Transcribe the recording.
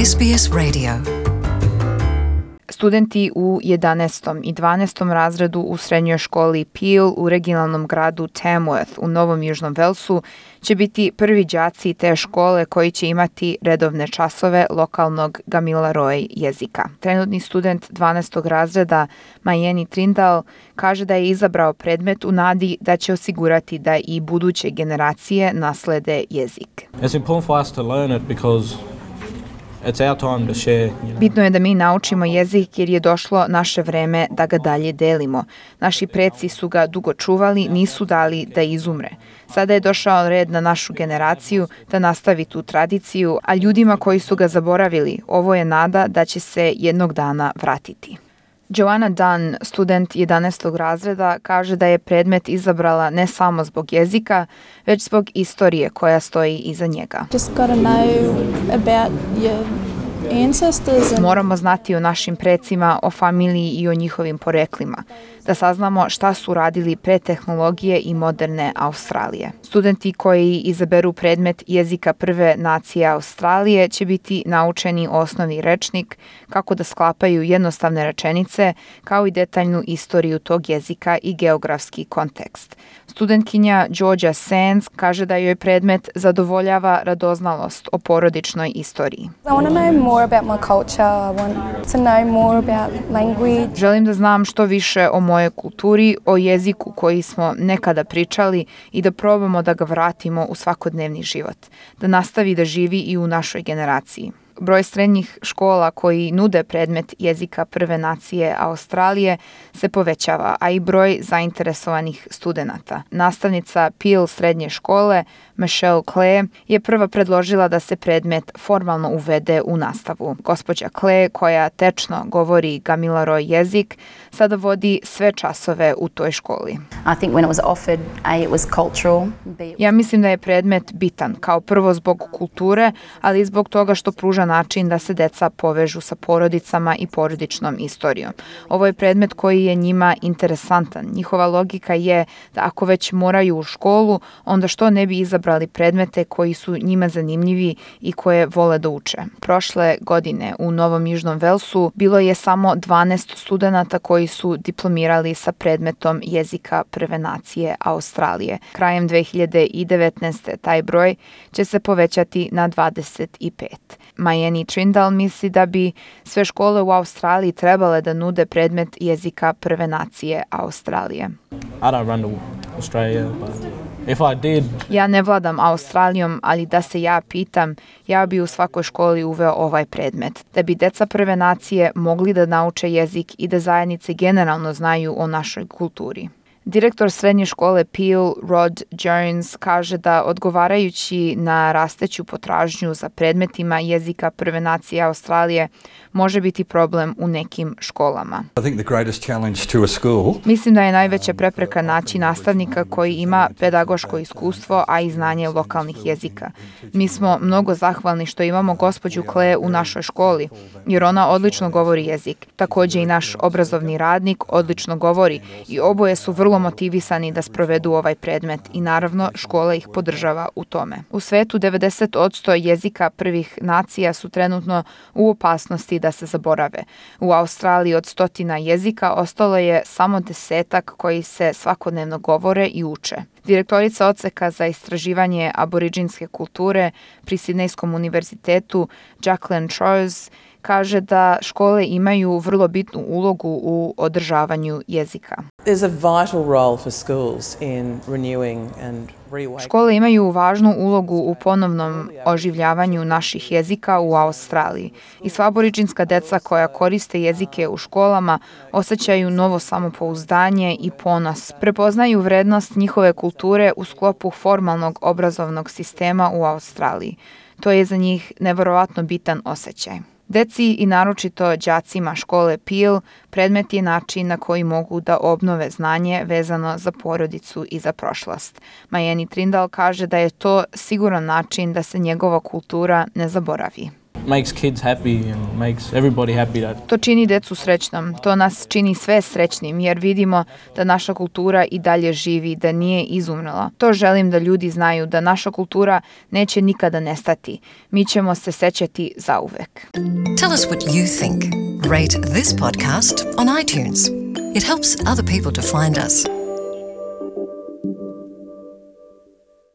SBS Radio. Studenti u 11. i 12. razredu u srednjoj školi Peel u regionalnom gradu Tamworth u Novom Južnom Velsu će biti prvi đaci te škole koji će imati redovne časove lokalnog Gamilaroi jezika. Trenutni student 12. razreda Mayeni Trindall kaže da je izabrao predmet u nadi da će osigurati da i buduće generacije naslede jezik. It's important for us to learn it because it's our time to share. Bitno je da mi naučimo jezik jer je došlo naše vreme da ga dalje delimo. Naši preci su ga dugo čuvali, nisu dali da izumre. Sada je došao red na našu generaciju da nastavi tu tradiciju, a ljudima koji su ga zaboravili, ovo je nada da će se jednog dana vratiti. Joanna Dunn, student 11. razreda, kaže da je predmet izabrala ne samo zbog jezika, već zbog istorije koja stoji iza njega. Just got to know about your ancestors. Moramo znati o našim precima, o familiji i o njihovim poreklima, da saznamo šta su radili pre tehnologije i moderne Australije. Studenti koji izaberu predmet jezika prve nacije Australije će biti naučeni osnovni rečnik, kako da sklapaju jednostavne rečenice, kao i detaljnu istoriju tog jezika i geografski kontekst. Studentkinja Georgia Sands kaže da joj predmet zadovoljava radoznalost o porodičnoj istoriji. I want to know more about my culture. I want to know more about language. Želim da znam što više o mojoj kulturi, o jeziku koji smo nekada pričali i da probamo da ga vratimo u svakodnevni život, da nastavi da živi i u našoj generaciji. Broj srednjih škola koji nude predmet jezika prve nacije Australije se povećava, a i broj zainteresovanih studenata. Nastavnica Peel srednje škole, Michelle Clay, je prva predložila da se predmet formalno uvede u nastavu. Gospođa Clay, koja tečno govori Gamilaroi jezik, sada vodi sve časove u toj školi. I think when it was offered, it was cultural. Ja mislim da je predmet bitan, kao prvo zbog kulture, ali i zbog toga što pruža način da se deca povežu sa porodicama i porodičnom istorijom. Ovo je predmet koji je njima interesantan. Njihova logika je da ako već moraju u školu, onda što ne bi izabrali predmete koji su njima zanimljivi i koje vole da uče. Prošle godine u Novom Južnom Velsu bilo je samo 12 studenata koji su diplomirali sa predmetom jezika prve nacije Australije. Krajem 2019. taj broj će se povećati na 25. Mayeni Trindall misli da bi sve škole u Australiji trebale da nude predmet jezika prve nacije Australije. I don't run to Australia, but if I did, Ja ne vladam Australijom, ali da se ja pitam, ja bi u svakoj školi uveo ovaj predmet, da bi deca prve nacije mogli da nauče jezik i da zajednice generalno znaju o našoj kulturi. Direktor srednje škole Peel, Rod Jones, kaže da odgovarajući na rasteću potražnju za predmetima jezika prve nacije Australije može biti problem u nekim školama. I think the greatest challenge to a school Mislim da je najveća prepreka naći nastavnika koji ima pedagoško iskustvo, a i znanje lokalnih jezika. Mi smo mnogo zahvalni što imamo gospođu Clay u našoj školi, jer ona odlično govori jezik. Također i naš obrazovni radnik odlično govori i oboje su vrlo motivisani da sprovedu ovaj predmet i naravno škola ih podržava u tome. U svetu 90% jezika prvih nacija su trenutno u opasnosti da se zaborave. U Australiji od 100 jezika ostalo je samo 10 koji se svakodnevno govore i uče. Direktorica odseka za istraživanje aboriđinske kulture pri Sidnejskom univerzitetu Jacqueline Troyes kaže da škole imaju vrlo bitnu ulogu u održavanju jezika. There's a vital role for schools in renewing and reawakening. Škole imaju važnu ulogu u ponovnom oživljavanju naših jezika u Australiji i sva aboriđinska deca koja koriste jezike u školama osjećaju novo samopouzdanje i ponos. Prepoznaju vrednost njihove kulture u sklopu formalnog obrazovnog sistema u Australiji. To je za njih neverovatno bitan osjećaj. Deci i naročito đacima škole Peel predmet je način na koji mogu da obnove znanje vezano za porodicu i za prošlost. Mayeni Trindall kaže da je to siguran način da se njegova kultura ne zaboravi. makes kids happy and makes everybody happy. That To čini decu srećnom, to nas čini sve srećnim jer vidimo da naša kultura i dalje živi, da nije izumrla. To želim da ljudi znaju, da naša kultura neće nikada nestati. Mi ćemo se sećati zauvek. Tell us what you think. Rate this podcast on iTunes. It helps other people to find us.